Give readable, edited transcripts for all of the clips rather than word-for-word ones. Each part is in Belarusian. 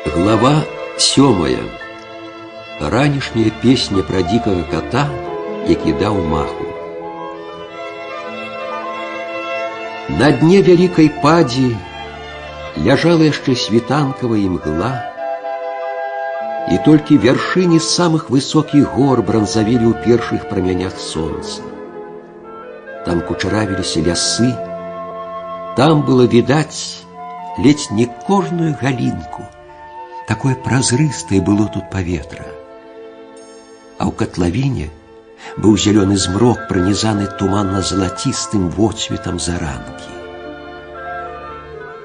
Глава 7. Ранішняя песня про дикого кота, які даў маху. На дне вялікай падзі ляжала яшчэ світанкавая імгла, і толькі вяршыні самых высокіх гор бранзавелі ў першых прамянях сонца. Там кучаравіліся лясы, там было відаць ледзь не кожную галінку. Такое празрыстае было тут паветра. А ў катлавіне быў зялёны змрок, пранізаны туманна-залацістым водсветам заранкі.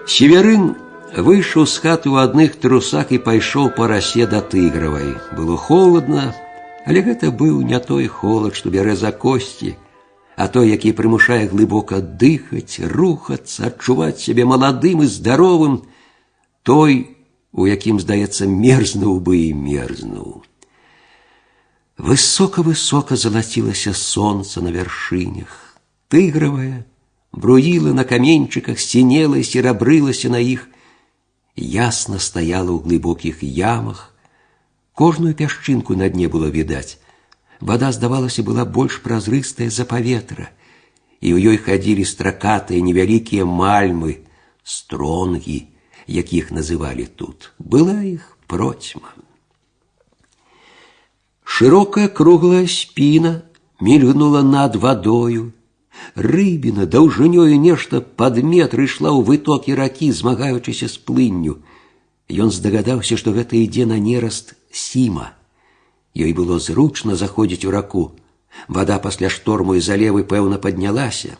Северын выйшаў з хаты ў адных трусах і пайшоў па расе да Тыгравай. Было холадна, але гэта быў не той холад, што бярэ за косці, а той, які прымушае глыбока дыхаць, рухацца, адчуваць сябе маладым і здаровым, той, у якім, здаецца, мерзнуў бы і мерзнуў. Высока-высока залацілася сонца на вяршынях. Тыгравая бруіла на каменьчыках, сінела і серабрылася на іх, ясна стаяла ў глыбокіх ямах. Кожную пясчынку на дне было відаць. Вада, здавалася, была больш празрыстая за паветра, і ў ёй хадзілі стракатыя невялікія мальмы, стронгі, якіх называлі тут. Была іх процьма. Шырокая круглая спіна мільгнула над вадою. Рыбіна даўжынёю нешта пад метр ішла ў вытокі ракі, змагаючыся з плынню. Ён здагадаўся, што гэта ідзе на нераст Сіма. Ёй было зручна заходзіць у раку. Вада пасля шторму і залевы, пэўна, паднялася.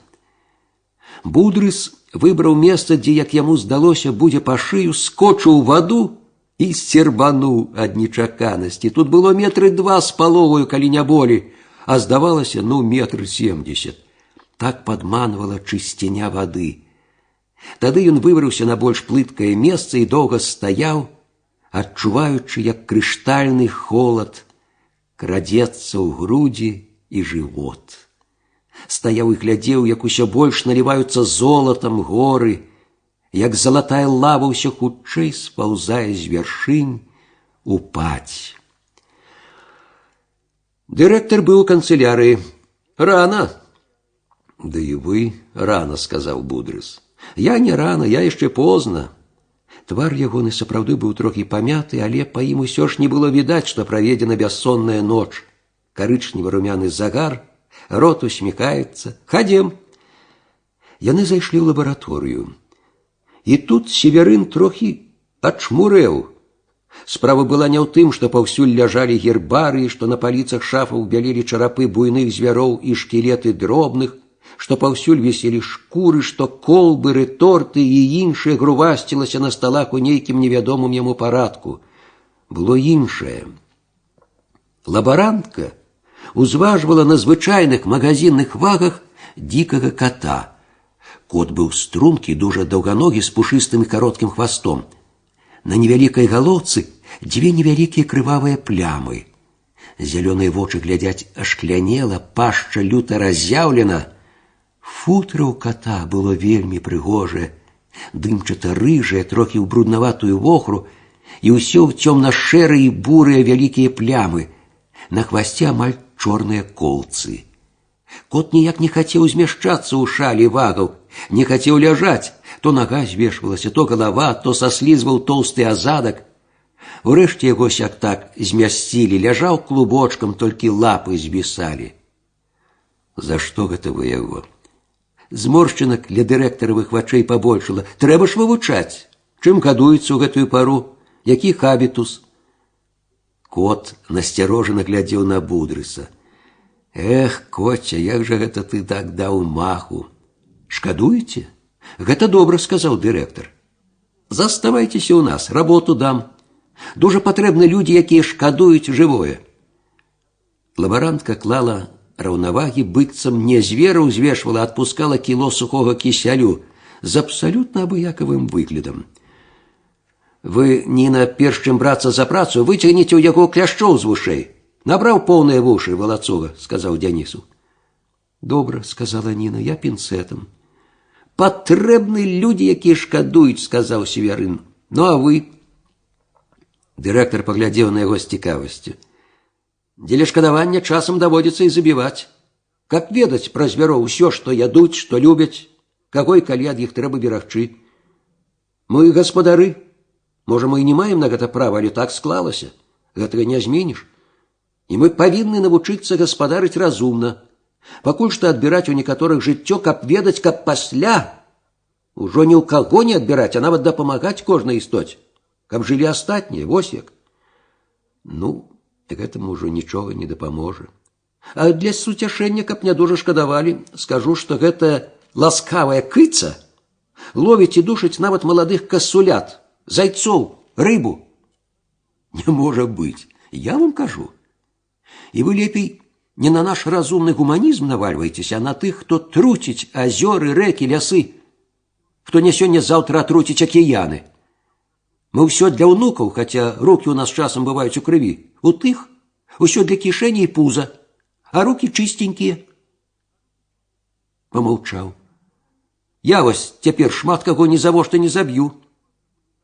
Будрыс выбраў месца, дзе, як яму здалося, будзе па шыю, скочыў у ваду і сцербануў ад нечаканасці. Тут было метры 2 з паловаю, калі не болей, а здавалася, метр 70. Так падманвала чысціня вады. Тады ён выбраўся на больш плыткае месца і доўга стаяў, адчуваючы, як крыштальны холад крадзецца ў грудзі і жывот. Стаяў і глядзеў, як усё больш наліваюцца золатам горы, як залатая лава ўсё хутчэй спаўзае з вяршынь у падзь. Дырэктар быў у канцылярыі. Рана. Да і вы рана, сказаў Будрыс. Я не рана, я яшчэ позна. Твар ягоны сапраўды быў трохі памяты, але па ім усё ж не было відаць, што праведзена бяссонная ноч. Карычнева-румяны загар, рот усміхаецца. Хадзем. Яны зайшлі ў лабараторыю. І тут Северын трохі ачмурэў. Справа была не ў тым, што паўсюль ляжалі гербарыі, што на паліцах шафаў бялелі чарапы буйных звяроў і шкілеты дробных, што паўсюль віселі шкуры, што колбы, рэторты і іншае грувасцілася на сталах у нейкім невядомым яму парадку. Было іншае. Лабарантка узважвала на звычайных магазинных вагах дикага кота. Кот быў стрункі, дужа даўганогі, з пушыстым і кароткім хвастом. На невялікай галоўцы 2 невялікія крывавыя плямы. Зялёныя вочы глядзяць ашклянела, пашча люта разъяўлена. Футра ў кота было вельмі прыгожае, дымчата-рыжае, трохі ў бруднаватую вохру, і ўсё ў цёмна-шэрыя і бурыя вялікія плямы. На хвасце амаль чорныя колцы. Кот ніяк не хацеў змяшчацца ў шалі вагаў, не хацеў ляжаць. То нага звешвалася, то галава, то саслізваў тоўсты азадак. Урэшце яго сяк так змясцілі, ляжаў клубочкам, толькі лапы звісалі. За што гэта вы яго? Зморшчынак ля дырэктаравых вачэй пабольшала. Трэба ж вывучаць, чым гадуецца ў гэтую пару, які хабітус. Кот насцярожана глядзеў на Будрыса. Эх, коця, як жа гэта ты так даў маху? Шкадуеце? Гэта добра, сказаў дырэктар. Заставайцеся ў нас, работу дам. Дужа патрэбны людзі, якія шкадуюць жывое. Лабарантка клала раўнавагі, быццам не звера ўзвешвала, а адпускала кіло сухога кісялю з абсалютна абыякавым выглядам. Вы, Ніна, перш чым брацца за працу, выцягніце ў яго кляшчоў з вушэй. Набраў поўныя вушы, валацуга, сказаў Дзянісу. Добра, сказала Ніна, я пінцэтам. Патрэбны людзі, якія шкадуюць, сказаў Северын. Ну, а вы? Дырэктар паглядзеў на яго з цікавасцю. Дзеля шкадавання часам даводзіцца і забіваць. Каб ведаць пра звяроў усё, што ядуць, што любяць, каго і калі ад іх трэба берагчы. Мы гаспадары. Можа, мы і не маем на гэта права, але так склалася. Гэтага не зменіш. І мы павінны навучыцца гаспадарыць разумна. Пакуль што адбіраць у некаторых жыццё, каб ведаць, каб пасля ужо ні ў каго не адбіраць, а нават дапамагаць кожнай істоце. Каб жылі астатнія, вось як. Ну, гэтаму ўжо нічога не дапаможа. А для суцяшэння, каб не дужа шкадавалі, скажу, што гэта ласкавая кыца ловіць і душыць нават маладых касулят, зайцоў, рыбу. Не можа быць, я вам кажу. І вы лепей не на наш разумны гуманізм навальваецеся, а на тых, хто труціць азёры, рэкі, лясы, хто не сёння-заўтра атруціць акіяны. Мы ўсё для ўнукаў, хаця рукі ў нас часам бываюць у крыві. У тых усё для кішэні і пуза, а рукі чыстенькія. Памаўчаў. Я вось цяпер шмат каго ні завошта не заб'ю.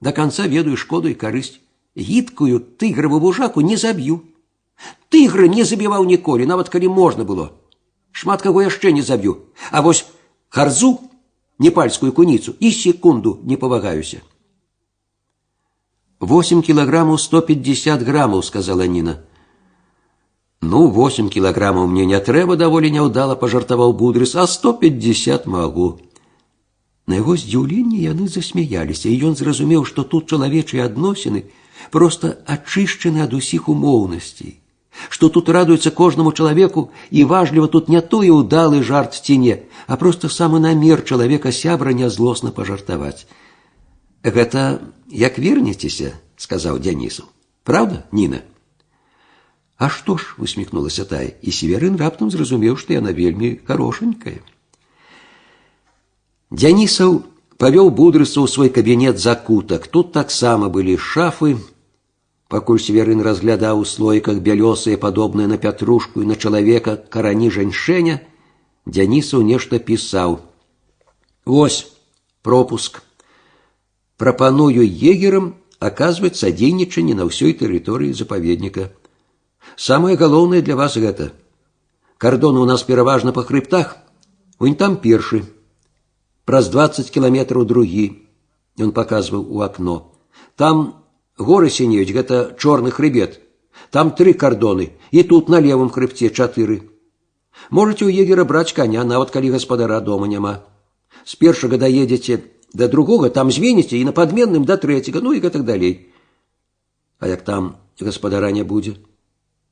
До канца ведаю шкоду і карысць. Гідкую тыграву вужаку не заб'ю. Тыгра не забіваў ніколі, нават калі можна было. Шмат каго яшчэ не заб'ю. А вось харзу, непальскую куніцу, і секунду не павагаюся. 8 килограммов 150 граммов, сказала Ніна. Ну, 8 килограммов мне не трэба, даволі няўдала пажартаваў Будрыс, а 150 магу. На яго здзіўленне яны засмяяліся, і ён зразумеў, што тут чалавечыя адносіны проста ачышчаны ад усіх умоўнасцей, што тут радуецца кожнаму чалавеку, і важліва тут не той удалы жарт ці не, а проста самы намер чалавека сябра нязлосна пажартаваць. Гэта як вернецеся, сказаў Дзянісу. Правда, Ніна? А што ж, усміхнулася тая, і Северын раптам зразумеў, што яна вельмі харошенькая. Дзянісаў павёў Будрыса ў свой кабінет закутак. Тут таксама былі шафы. Пакуль Северын разглядаў у слоіках бялёсыя, падобныя на пятрушку і на чалавека, карані жаньшэня, Дзянісаў нешта пісаў. Вось, пропуск. Прапаную егерам аказваць садзейнічанне на ўсёй тэрыторыі запаведніка. Самае галоўнае для вас гэта. Кардоны ў нас пераважна па хрыбтах. Унь там першы. Праз 20 кіламетраў другі. Ён паказваў у акно. Там горы сінеюць, гэта чорны хрыбет. Там 3 кардоны, і тут на левым хрыбце 4. Можаце ў егера браць каня, нават калі гаспадара дома няма. З першага даедзеце да другога, там зменіце, і на падменным да трэцяга, ну і гэтак далей. А як там гаспадара не будзе?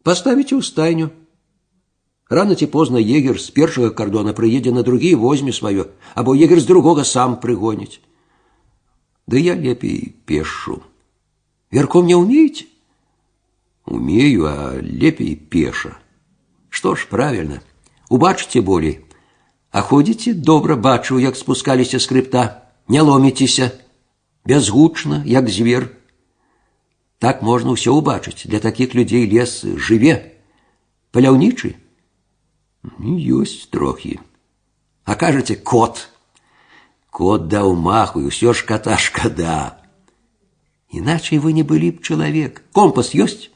Паставіце ў стайню. Рано ці позна егер з першага кардона прыедзе на другі і возьме сваё, або егер з другога сам прыгоніць. Ды я лепей пешу. Верхом не умеете? Умею, а лепей пеша. Што ж, правильно, убачыце болей. А ходзіце, добра бачу, як спускаліся з хрыбта. Не ломіцеся, бязгучна, як звер. Так можна ўсё убачыць. Для такіх людзей лес жыве. Паляўнічы? Ёсць трохі. А кажаце, кот. Кот даў маху, і ўсё ж кота шкада. Іначай вы не былі б чалавек. Компас ёсць?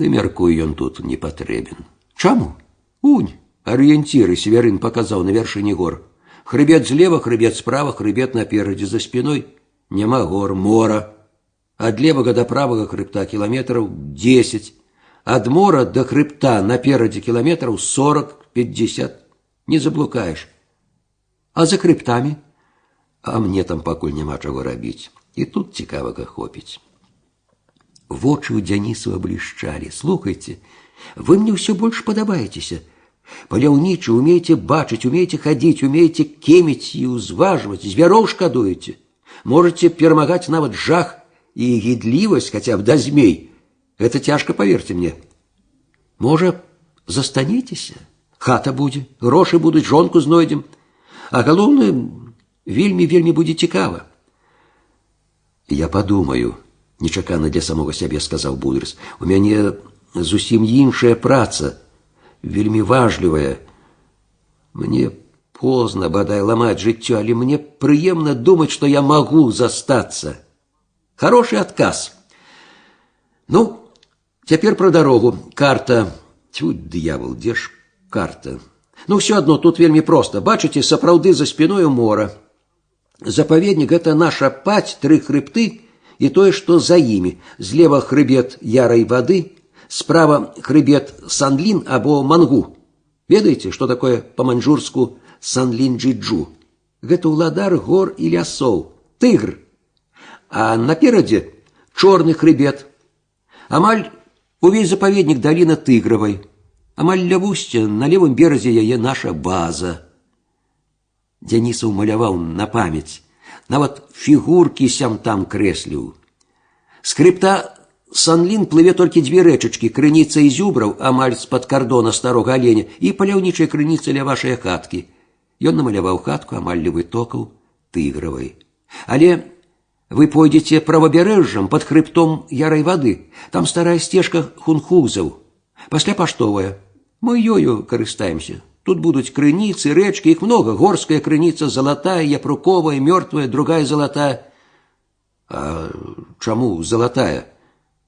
Ды мяркую, ён тут не патрэбен. Чаму? Унь, арыенціры Северын паказаў на вяршыні гор. Хрыбет злева, хрыбет справа, хрыбет наперадзе, за спиной няма гор, мора. Ад левага да правага хрыбта кіламетраў 10. Ад мора да хрыбта наперадзе кіламетраў 40-50. Не заблукаеш. А за хрыбтамі? А мне там пакуль няма чаго рабіць. І тут цікавага хопіць. Вочы ў Дзянісава блішчалі. Слухайце, вы мне ўсё больш падабаецеся. Паляўнічы, умееце бачыць, умееце хадзіць, умееце кеміць і ўзважваць, звяроў шкадуеце. Можаце перамагаць нават жах і гідлівасць, хаця б да змей. Гэта цяжка, паверце мне. Можа, застанецеся? Хата будзе, грошы будуць, жонку знойдзем. А галоўнае, вельмі будзе цікава. Я падумаю, нечакана для самога сябе сказаў Будырс. У мяне зусім іншая праца, вельмі важлівая. Мне позна, бадай, ламаць жыццё, але мне прыемна думаць, што я магу застацца. Хороший адказ. Ну, цяпер пра дарогу. Карта. Тьфу, д'явол, дзе ж карта? Ну, все адно, тут вельмі проста. Бачыце, сапраўды за спіною мора. Запаведнік – гэта наша паць, 3 хрыбты і тое, што за імі. Злева хрыбет ярай вады, справа хрыбет Санлін або Мангу. Ведаеце, што такое па-маньчжурску Санлін-джиджу? Гэта ўладар гор і лясоў, тыгр. А наперадзе чорны хрыбет. Амаль увесь запаведнік даліна Тыгравай. Амаль ля вусця, на левым беразе яе наша база. Дзянісаў маляваў на памяць. Нават фігуркі сям-там крэсліў. З хрыбта Санлін плыве толькі 2 рэчачкі, крыніца і зюбраў, амаль з-пад кардона старога аленя, і паляўнічая крыніца ля вашай хаткі. Ён намаляваў хатку амаль ля вытокаў Тыгравай. Але вы пойдзеце правабярэжжам пад хрыбтом ярай вады. Там старая сцежка хунхузаў. Пасля паштовая. Мы ёю карыстаемся. Тут будуць крыніцы, рэчкі, іх много. Горская крыніца залатая, япруковая, мёртвая, другая залатая. А чаму залатая?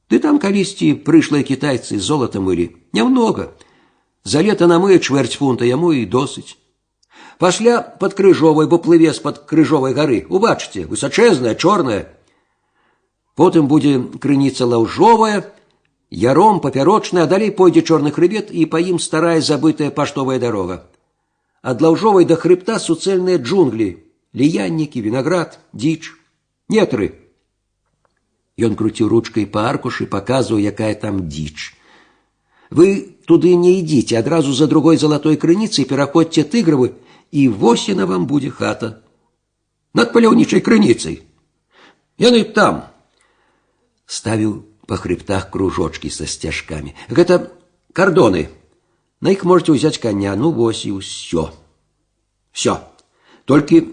Ды там калісьці прышлыя кітайцы золата мылі. Нямнога. За лета намые 1/4 фунта, яму і досыць. Пасля пад крыжовай, бо плыве з-пад крыжовай гары. Убачыце, высачэзная, чорная. Потым будзе крыніца лаўжовая, яром папярочная, а далей пойдзе чорны хрыбет і па ім старая забытая паштовая дарога. Ад лаўжовай да хрыбта суцэльныя джунглі, ліяннікі, вінаград, дзіч, нетры. Ён круціў ручкай па аркушы, паказваў, якая там дзіч. Вы туды не ідзіце, адразу за другой залатой крыніцай пераходзьце Тыгравы, і вось яна вам будзе хата. Над паляўнічай крыніцай. Яны там. Ставіў па хрыбтах кружочкі са сцяжкамі. Гэта кардоны. На іх можете ўзяць коня. Ну, вось і ўсё. Всё. Толькі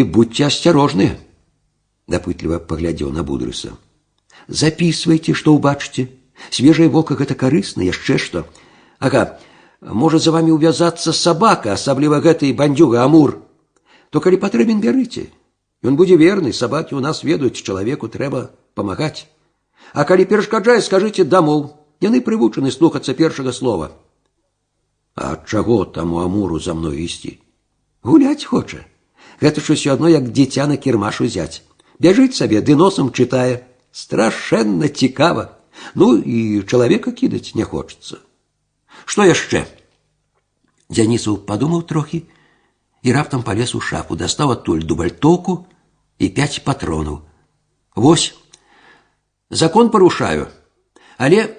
будьце асцярожныя. Дапытліва паглядзеў на Будырса. Запісвайце, што ўбачыце. Свежае вока – гэта карысна, яшчэ што. Ага, можа за вами ўвязацца сабака, асабліва гэты бандзюга Амур. То калі патрэбен, бярыце. Ён будзе верны, сабакі ў нас ведаюць, чалавеку трэба памагаць. А калі перашкаджае, скажыце дамоў. Яны прывучаны слухацца першага слова. А чаго таму Амуру за мной ісці? Гуляць хоча. Гэта ж усё адно, як дзіця на кірмаш узяць. Бяжыць сабе, ды носам чытае. Страшэнна цікава. Ну, і чалавека кідаць не хочацца. Што яшчэ? Дзянісаў падумаў трохі і раптам палез у шафу, дастаў адтуль дубальтоўку і 5 патронаў. Вось, закон парушаю. Але,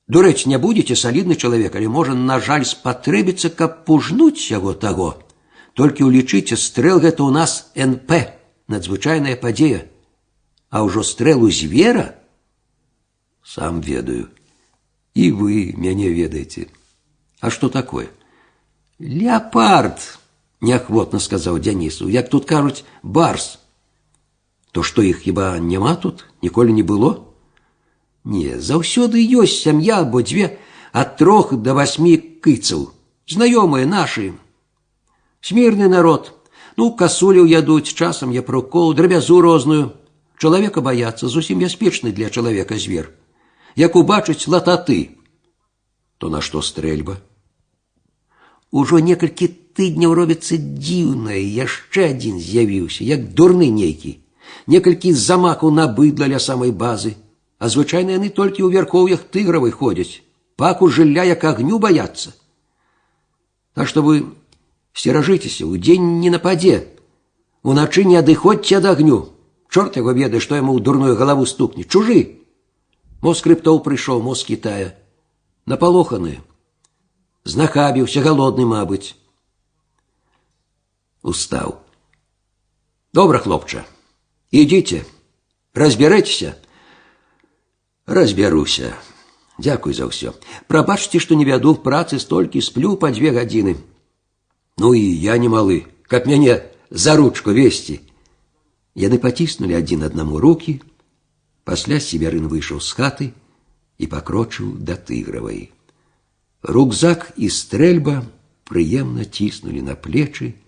дурэць, не будзеце салідны чалавек, але можа, на жаль, спатрэбіцца, каб пужнуць яго таго. Толькі ўлічыце, стрэл гэта ў нас НП, надзвычайная падзея. А ўжо стрэл у звера? Сам ведаю. І вы мяне ведаеце. А што такое? Леапард, неахвотна сказаў Дзянісу. Як тут кажуць, барс. То што іх хіба няма тут? Ніколі не было? Не, заўсёды ёсць сям'я або 2 ад 3 до 8 кыцаў. Знаёмыя нашы. Смірны народ. Ну, касуляў ядуць, часам япрукоў, драбязу розную. Чалавека баяцца, зусім бяспечны для чалавека звер. Як убачыць лататы, то на што стрэльба? Ужо некалькі тыдняў робіцца дзіўнае, яшчэ адзін з'явіўся, як дурны нейкі. Некалькі замахаў на быдла ля самай базы, а звычайна яны толькі ў вярхоўях Тыгравай ходзяць, паку жылля як агню баяцца. Так што вы сцеражыцеся, удзень не нападзе, уначы не адыходзьце ад агню. Чорт яго ведае, што яму ў дурную галаву стукне. Чужы. Мо з хрыбтоў прыйшоў, мо з Кітая. Напалоханы. Знахабіўся, галодны, мабыць. Устаў. Добра, хлопча. Ідзіце. Разбярэцеся? Разбяруся. Дзякуй за ўсё. Прабачце, што не вяду в працы столькі, сплю па 2 гадзіны. Ну і я не малы, каб мяне за ручку весці. Яны паціснулі адзін аднаму рукі. Пасля Севярын выйшаў з хаты і пакрочыў да Тыгравай. Рюкзак і стрэльба прыемна ціснулі на плечы,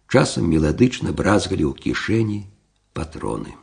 часам меладычна бразгалі ў кішэні патроны.